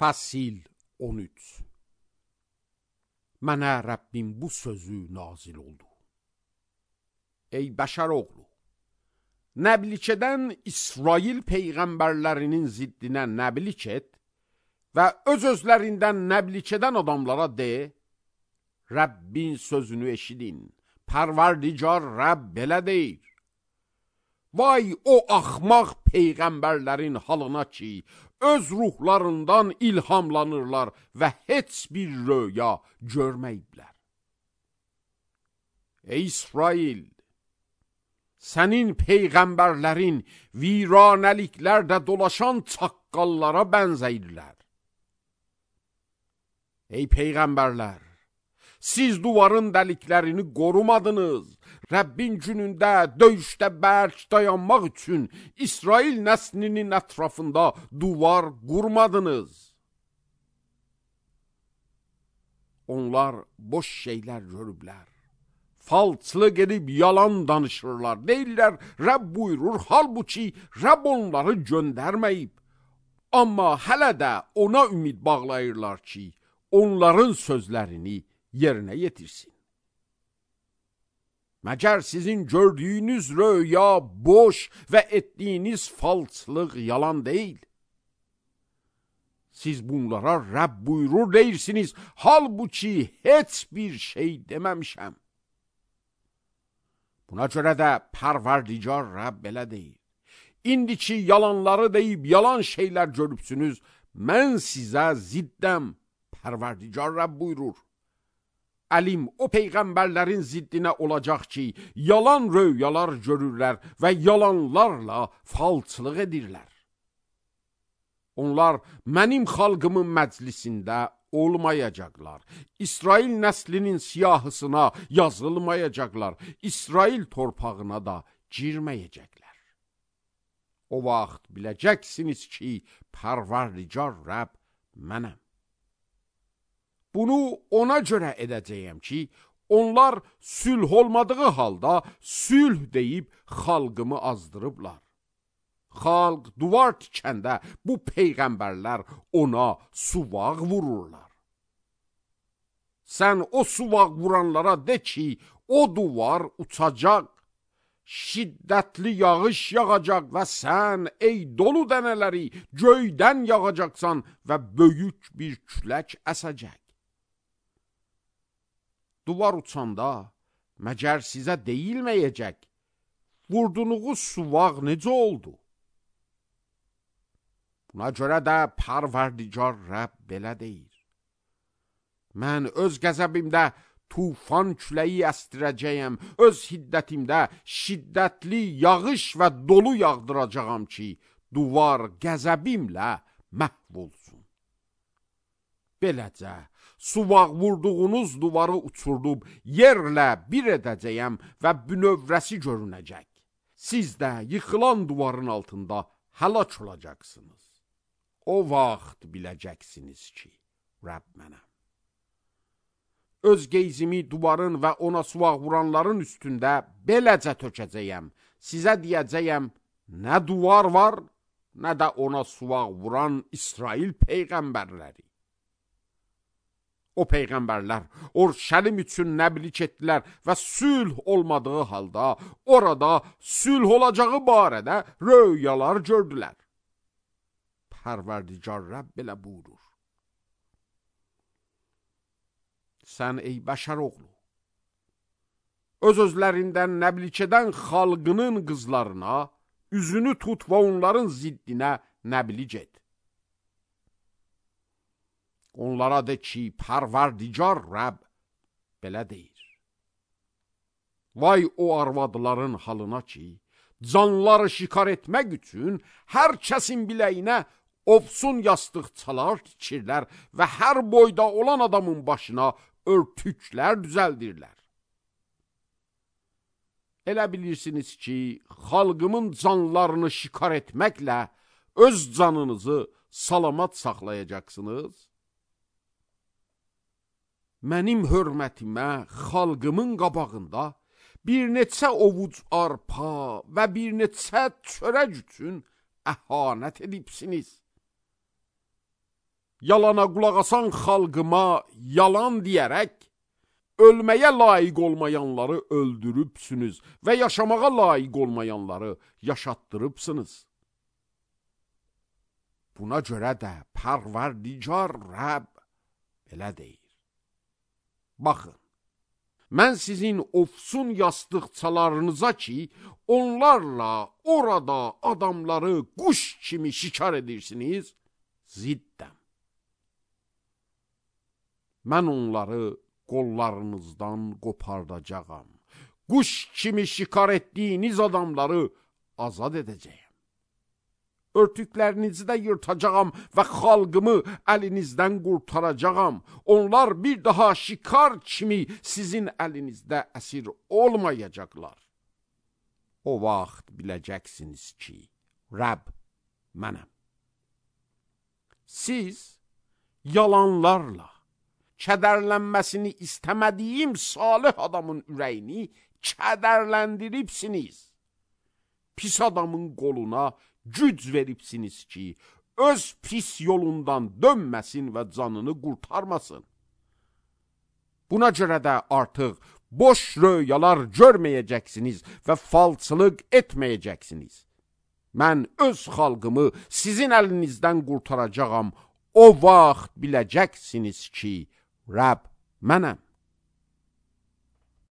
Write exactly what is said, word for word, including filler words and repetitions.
Fəsil on üç. Mənə Rəbbim bu sözü nazil oldu. Ey bəşər oğlu, nəblik edən İsrail peyğəmbərlərinin ziddinə nəblik et və öz özlərindən nəblik edən adamlara de, Rəbbin sözünü eşidin, Pərverdigar Rəbb belə deyir. Vay o axmaq peyğəmbərlərin halına ki, öz ruhlarından ilhamlanırlar və heç bir röya görməyiblər. Ey İsrail, sənin peyğəmbərlərin viranəliklərdə dolaşan çaqqallara bənzəyirlər. Ey peyğəmbərlər, siz duvarın dəliklərini qorumadınız. Rəbbin günündə döyüşdə bərk dayanmaq üçün İsrail nəslinin ətrafında duvar qurmadınız. Onlar boş şeylər görüblər. Falçılıq edib yalan danışırlar. Deyirlər, Rəbb buyurur, halbuki Rəbb onları göndərməyib. Amma hələ də ona ümid bağlayırlar ki, onların sözlərini yerinə yetirsin. Məgər sizin gördüyünüz röya boş və etdiyiniz falçılıq yalan deyil. Siz bunlara Rəbb buyurur deyirsiniz, halbuki heç bir şey deməmişəm. Buna görə də Pərverdigar Rəbb belə deyir. İndiki yalanları deyib yalan şeylər görübsünüz, mən sizə ziddəm, Pərverdigar Rəbb buyurur. Əlim o peyğəmbərlərin ziddinə olacaq ki, yalan röyalar görürlər və yalanlarla falçılıq edirlər. Onlar mənim xalqımın məclisində olmayacaqlar. İsrail nəslinin siyahısına yazılmayacaqlar. İsrail torpağına da girməyəcəklər. O vaxt biləcəksiniz ki, Pərverdigar Rəbb mənəm. Bunu ona görə edəcəyəm ki, onlar sülh olmadığı halda sülh deyib xalqımı azdırıblar. Xalq duvar tikəndə bu peyğəmbərlər ona suvaq vururlar. Sən o suvaq vuranlara de ki, o duvar uçacaq, şiddətli yağış yağacaq və sən, ey dolu dənələri, göydən yağacaqsan və böyük bir külək əsəcək. Duvar uçanda, məgər sizə deyilməyəcək, vurduğunuz suvaq necə oldu? Buna görə də Pərverdigar Rəbb belə deyir. Mən öz qəzəbimdə tufan küləyi əstirəcəyəm, öz hiddətimdə şiddətli yağış və dolu yağdıracağam ki, duvar qəzəbimlə məhv olsun. Beləcə, suvaq vurduğunuz duvarı uçurdub yerlə bir edəcəyəm və bünövrəsi görünəcək. Siz də yıxılan duvarın altında həlak olacaqsınız. O vaxt biləcəksiniz ki, Rəbb mənəm. Öz qeyzimi duvarın və ona suvaq vuranların üstündə beləcə tökəcəyəm. Sizə deyəcəyəm, nə duvar var, nə də ona suvaq vuran İsrail peyğəmbərləri. O peyğəmbərlər Urşəlim üçün nəblik etdilər və sülh olmadığı halda orada sülh olacağı barədə röyalar gördülər. Pərverdigar Rəbb belə buyurur. Sən ey bəşər oğlu, öz özlərindən nəblik edən xalqının qızlarına üzünü tut və onların ziddinə nəblik et. Onlara de ki, Pərverdigar Rəbb belə deyir. Vay o arvadların halına ki, canları şikar etmək üçün hər kəsin biləyinə ofsun yastıq çalar tikirlər və hər boyda olan adamın başına örtüklər düzəldirlər. Elə bilirsiniz ki, xalqımın canlarını şikar etməklə öz canınızı salamat saxlayacaqsınız. Mənim hörmətimə xalqımın qabağında bir neçə ovuc arpa və bir neçə çörək üçün əhanət edibsiniz. yalana qulaq asan xalqıma yalan deyərək, ölməyə layiq olmayanları öldürübsünüz və yaşamağa layiq olmayanları yaşatdırıbsınız. Buna görə də Pərverdigar Rəbb belə deyir. Baxın, mən sizin ofsun yastıqçalarınıza ki, onlarla orada adamları quş kimi şikar edirsiniz, ziddəm. Mən onları qollarınızdan qopardacağam. Quş kimi şikar etdiyiniz adamları azad edəcəyəm. Örtüklərinizi də yırtacağam və xalqımı əlinizdən qurtaracağam. Onlar bir daha şikar kimi sizin əlinizdə əsir olmayacaqlar. O vaxt biləcəksiniz ki, Rəbb mənəm. Siz yalanlarla kədərlənməsini istəmədiyim salih adamın ürəyini kədərləndiribsiniz. Pis adamın qoluna güc veribsiniz ki, öz pis yolundan dönməsin və canını qurtarmasın. Buna görə də artıq boş röyalar görməyəcəksiniz və falçılıq etməyəcəksiniz. Mən öz xalqımı sizin əlinizdən qurtaracağam. O vaxt biləcəksiniz ki, Rəbb mənəm.